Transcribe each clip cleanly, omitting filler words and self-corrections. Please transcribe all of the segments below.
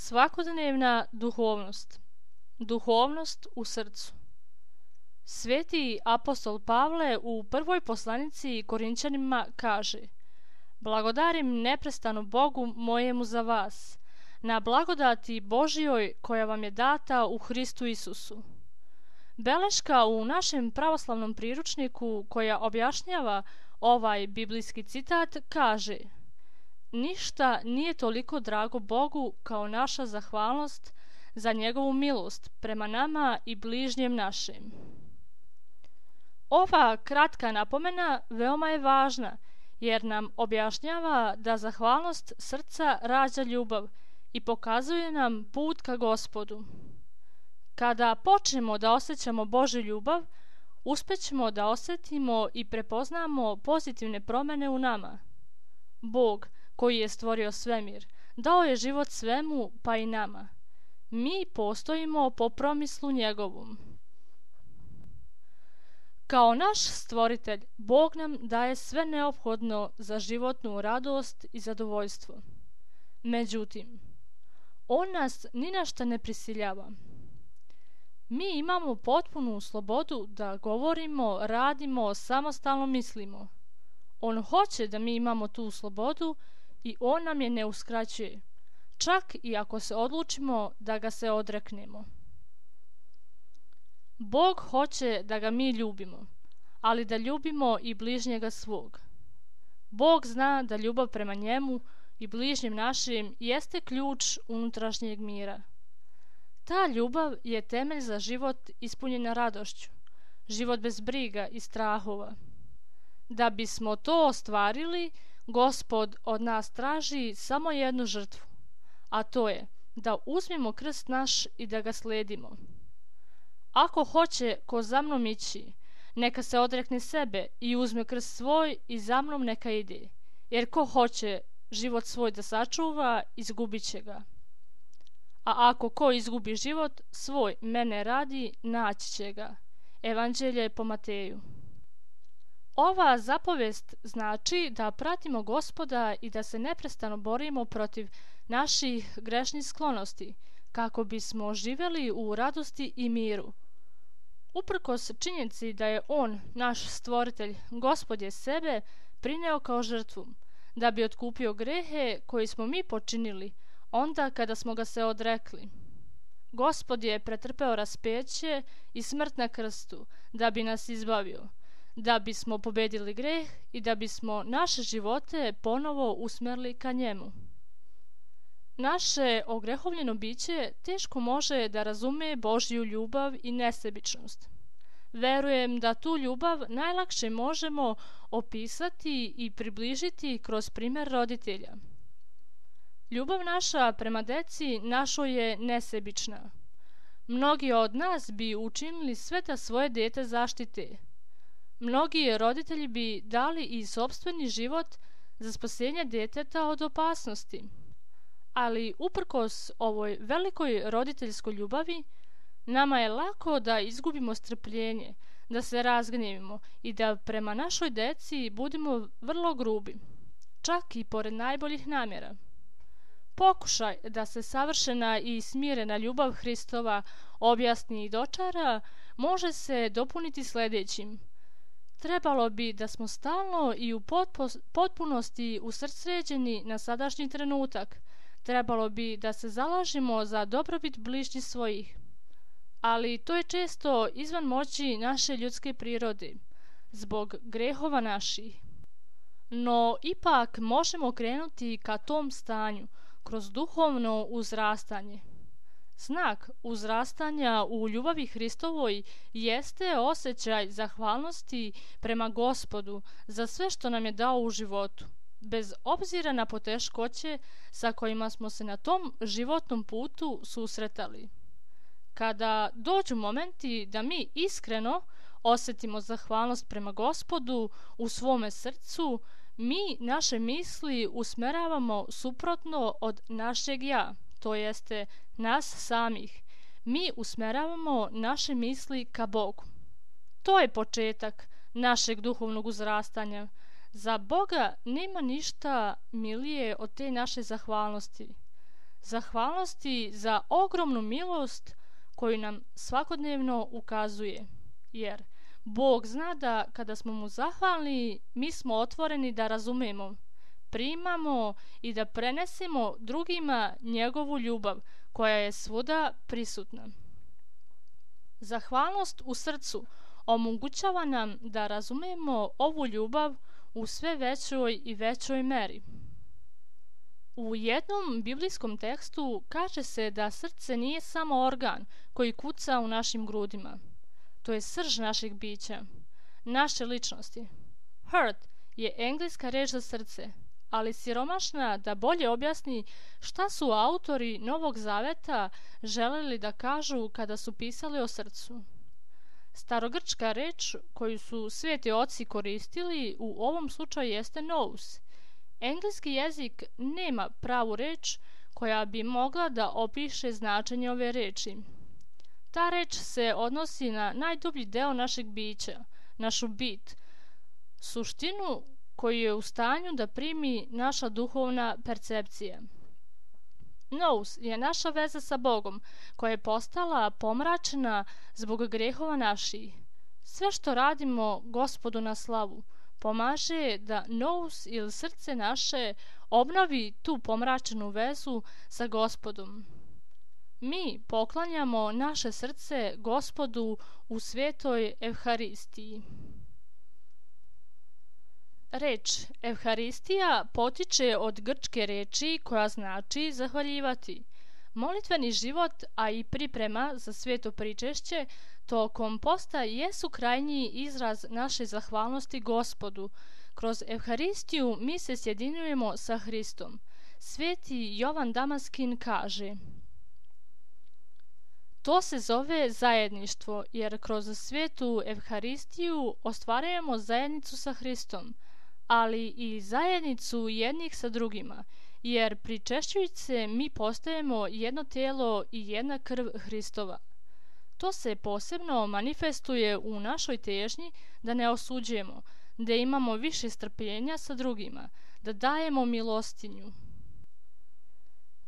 Svakodnevna duhovnost. Duhovnost u srcu. Sveti apostol Pavle u prvoj poslanici Korinćanima kaže: Blagodarim neprestano Bogu mojemu za vas, na blagodati Božjoj koja vam je data u Hristu Isusu. Beleška u našem pravoslavnom priručniku koja objašnjava ovaj biblijski citat kaže: Ništa nije toliko drago Bogu kao naša zahvalnost za njegovu milost prema nama i bližnjem našem. Ova kratka napomena veoma je važna jer nam objašnjava da zahvalnost srca rađa ljubav i pokazuje nam put ka Gospodu. Kada počnemo da osjećamo Božju ljubav, uspećemo da osjetimo i prepoznamo pozitivne promjene u nama. Bog, koji je stvorio svemir, dao je život svemu, pa i nama. Mi postojimo po promislu njegovom. Kao naš stvoritelj, Bog nam daje sve neophodno za životnu radost i zadovoljstvo. Međutim, On nas ni na šta ne prisiljava. Mi imamo potpunu slobodu da govorimo, radimo, samostalno mislimo. On hoće da mi imamo tu slobodu i On nam je ne uskraćuje, čak i ako se odlučimo da ga se odreknemo. Bog hoće da ga mi ljubimo, ali da ljubimo i bližnjega svog. Bog zna da ljubav prema njemu i bližnjem našim jeste ključ unutrašnjeg mira. Ta ljubav je temelj za život ispunjen radošću, život bez briga i strahova. Da bismo to ostvarili, Gospod od nas traži samo jednu žrtvu, a to je da uzmemo krst naš i da ga sledimo. Ako hoće ko za mnom ići, neka se odrekne sebe i uzme krst svoj i za mnom neka ide, jer ko hoće život svoj da sačuva, izgubit će ga. A ako ko izgubi život svoj mene radi, naći će ga. Evanđelje po Mateju. Ova zapovest znači da pratimo Gospoda i da se neprestano borimo protiv naših grešnih sklonosti, kako bismo živjeli u radosti i miru. Uprkos činjenici da je On, naš stvoritelj, Gospod je sebe prineo kao žrtvu, da bi otkupio grehe koji smo mi počinili onda kada smo ga se odrekli. Gospod je pretrpeo raspeće i smrt na krstu da bi nas izbavio, da bismo pobedili greh i da bismo naše živote ponovo usmerili ka njemu. Naše ogrehovljeno biće teško može da razume Božju ljubav i nesebičnost. Verujem da tu ljubav najlakše možemo opisati i približiti kroz primjer roditelja. Ljubav naša prema deci našoj je nesebična. Mnogi od nas bi učinili sve da svoje dete zaštite. Mnogi roditelji bi dali i sopstveni život za spasenje deteta od opasnosti. Ali uprkos ovoj velikoj roditeljskoj ljubavi, nama je lako da izgubimo strpljenje, da se razgnjevimo i da prema našoj deci budemo vrlo grubi, čak i pored najboljih namjera. Pokušaj da se savršena i smirena ljubav Hristova objasni i dočara može se dopuniti sljedećim. Trebalo bi da smo stalno i u potpunosti usredsređeni na sadašnji trenutak. Trebalo bi da se zalažemo za dobrobit bližnjih svojih. Ali to je često izvan moći naše ljudske prirode, zbog grehova naših. No ipak možemo krenuti ka tom stanju kroz duhovno uzrastanje. Znak uzrastanja u ljubavi Hristovoj jeste osjećaj zahvalnosti prema Gospodu za sve što nam je dao u životu, bez obzira na poteškoće sa kojima smo se na tom životnom putu susretali. Kada dođu momenti da mi iskreno osjetimo zahvalnost prema Gospodu u svome srcu, mi naše misli usmeravamo suprotno od našeg ja, to jeste nas samih. Mi usmeravamo naše misli ka Bogu. To je početak našeg duhovnog uzrastanja. Za Boga nema ništa milije od te naše zahvalnosti. zahvalnosti za ogromnu milost koju nam svakodnevno ukazuje, jer Bog zna da kada smo mu zahvalni, mi smo otvoreni da razumemo, primamo i da prenesemo drugima njegovu ljubav koja je svuda prisutna. Zahvalnost u srcu omogućava nam da razumemo ovu ljubav u sve većoj i većoj meri. U jednom biblijskom tekstu kaže se da srce nije samo organ koji kuca u našim grudima. To je srž našeg bića, naše ličnosti. Heart je engleska reč za srce, ali siromašna da bolje objasni šta su autori Novog Zaveta želeli da kažu kada su pisali o srcu. Starogrčka reč koju su sveti oci koristili u ovom slučaju jeste nous. Engleski jezik nema pravu reč koja bi mogla da opiše značenje ove reči. Ta reč se odnosi na najdublji deo našeg bića, našu bit, suštinu koju je u stanju da primi naša duhovna percepcija. Nous je naša veza sa Bogom, koja je postala pomračena zbog grehova naših. Sve što radimo Gospodu na slavu pomaže da nous ili srce naše obnovi tu pomračenu vezu sa Gospodom. Mi poklanjamo naše srce Gospodu u svetoj Evharistiji. Reč Evharistija potiče od grčke reči koja znači zahvaljivati. Molitveni život, a i priprema za sveto pričešće tokom posta jesu krajnji izraz naše zahvalnosti Gospodu. Kroz Evharistiju mi se sjedinjujemo sa Hristom. Sveti Jovan Damaskin kaže: to se zove zajedništvo, jer kroz svetu Evharistiju ostvarujemo zajednicu sa Hristom, ali i zajednicu jednih sa drugima, jer pričešćujući se mi postajemo jedno tijelo i jedna krv Hristova. To se posebno manifestuje u našoj težnji da ne osuđujemo, da imamo više strpljenja sa drugima, da dajemo milostinju.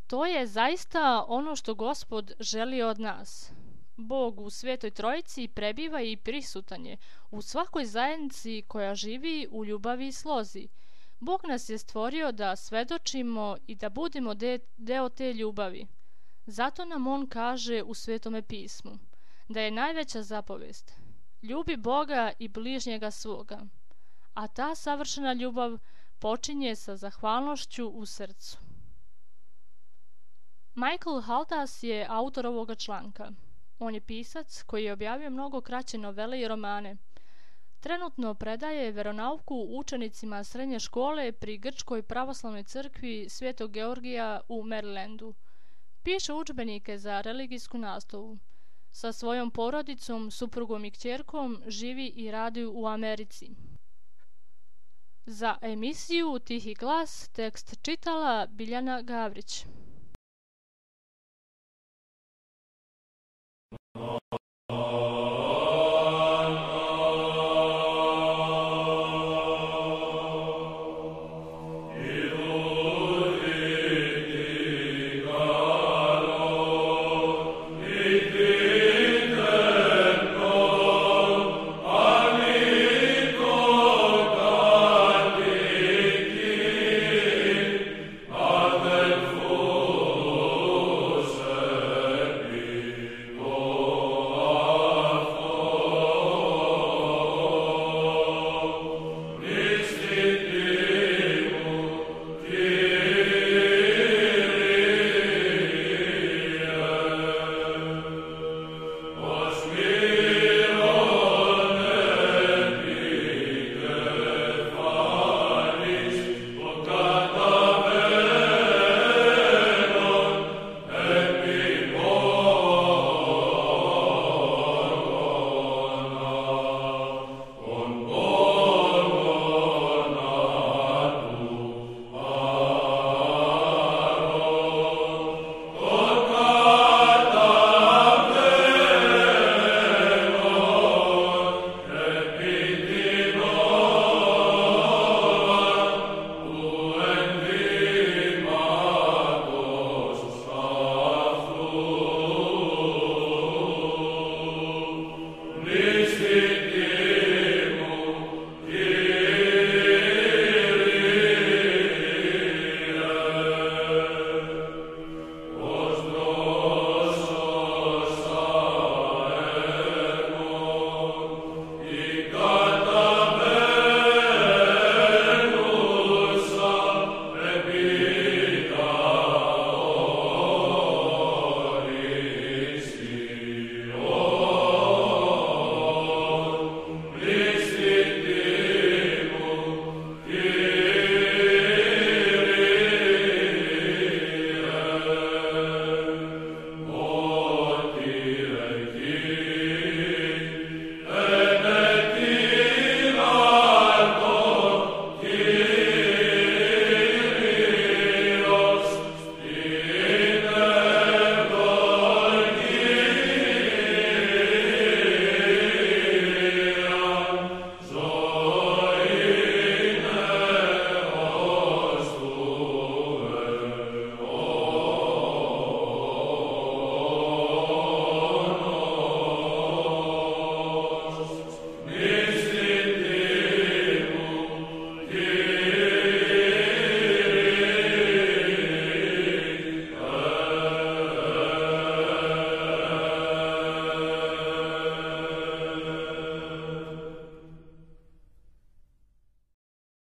To je zaista ono što Gospod želi od nas. Bog u Svetoj Trojici prebiva i prisutan je u svakoj zajednici koja živi u ljubavi i slozi. Bog nas je stvorio da svedočimo i da budemo deo te ljubavi. Zato nam On kaže u Svetome pismu da je najveća zapovest: ljubi Boga i bližnjega svoga. A ta savršena ljubav počinje sa zahvalnošću u srcu. Michael Haldas je autor ovoga članka. On je pisac koji je objavio mnogo kraće novele i romane. Trenutno predaje veronauku učenicima srednje škole pri Grčkoj pravoslavnoj crkvi Svetog Georgija u Marylandu. Piše udžbenike za religijsku nastavu. Sa svojom porodicom, suprugom i kćerkom živi i radi u Americi. Za emisiju Tihi glas tekst čitala Biljana Gavrić.